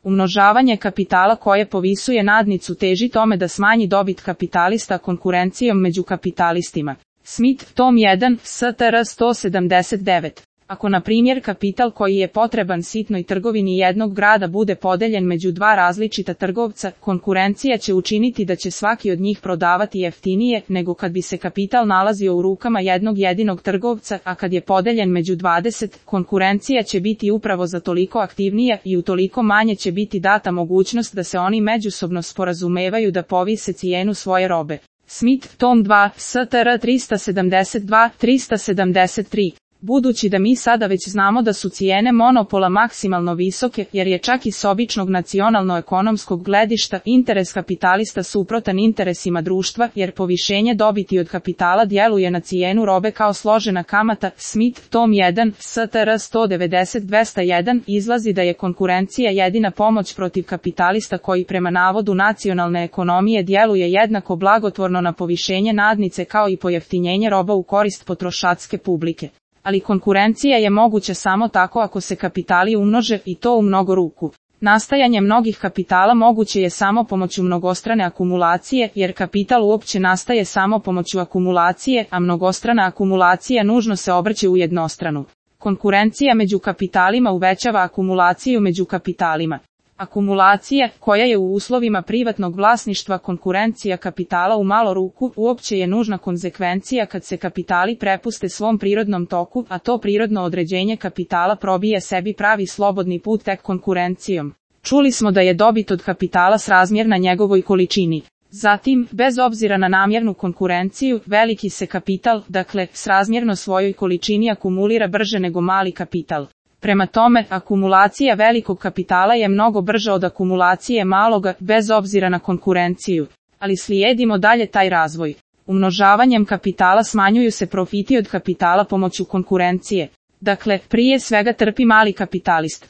Umnožavanje kapitala koje povisuje nadnicu teži tome da smanji dobit kapitalista konkurencijom među kapitalistima. Smith, tom 1, STR 179. Ako na primjer kapital koji je potreban sitnoj trgovini jednog grada bude podeljen među dva različita trgovca, konkurencija će učiniti da će svaki od njih prodavati jeftinije nego kad bi se kapital nalazio u rukama jednog jedinog trgovca, a kad je podeljen među 20, konkurencija će biti upravo za toliko aktivnija i utoliko manje će biti data mogućnost da se oni međusobno sporazumevaju da povise cijenu svoje robe. Smith, tom 2, STR 372-373. Budući da mi sada već znamo da su cijene monopola maksimalno visoke, jer je čak i s običnog nacionalno-ekonomskog gledišta interes kapitalista suprotan interesima društva, jer povišenje dobiti od kapitala djeluje na cijenu robe kao složena kamata, Smith, tom 1, STR 190-201, izlazi da je konkurencija jedina pomoć protiv kapitalista koji prema navodu nacionalne ekonomije djeluje jednako blagotvorno na povišenje nadnice kao i pojeftinjenje roba u korist potrošačke publike. Ali konkurencija je moguća samo tako ako se kapitali umnože i to u mnogo ruku. Nastajanje mnogih kapitala moguće je samo pomoću mnogostrane akumulacije, jer kapital uopće nastaje samo pomoću akumulacije, a mnogostrana akumulacija nužno se obrće u jednostranu. Konkurencija među kapitalima uvećava akumulaciju među kapitalima. Akumulacija, koja je u uslovima privatnog vlasništva konkurencija kapitala u malo ruku, uopće je nužna konzekvencija kad se kapitali prepuste svom prirodnom toku, a to prirodno određenje kapitala probije sebi pravi slobodni put tek konkurencijom. Čuli smo da je dobit od kapitala srazmjerna njegovoj količini. Zatim, bez obzira na namjernu konkurenciju, veliki se kapital, dakle, srazmjerno svojoj količini akumulira brže nego mali kapital. Prema tome, akumulacija velikog kapitala je mnogo brža od akumulacije maloga, bez obzira na konkurenciju. Ali slijedimo dalje taj razvoj. Umnožavanjem kapitala smanjuju se profiti od kapitala pomoću konkurencije. Dakle, prije svega trpi mali kapitalist.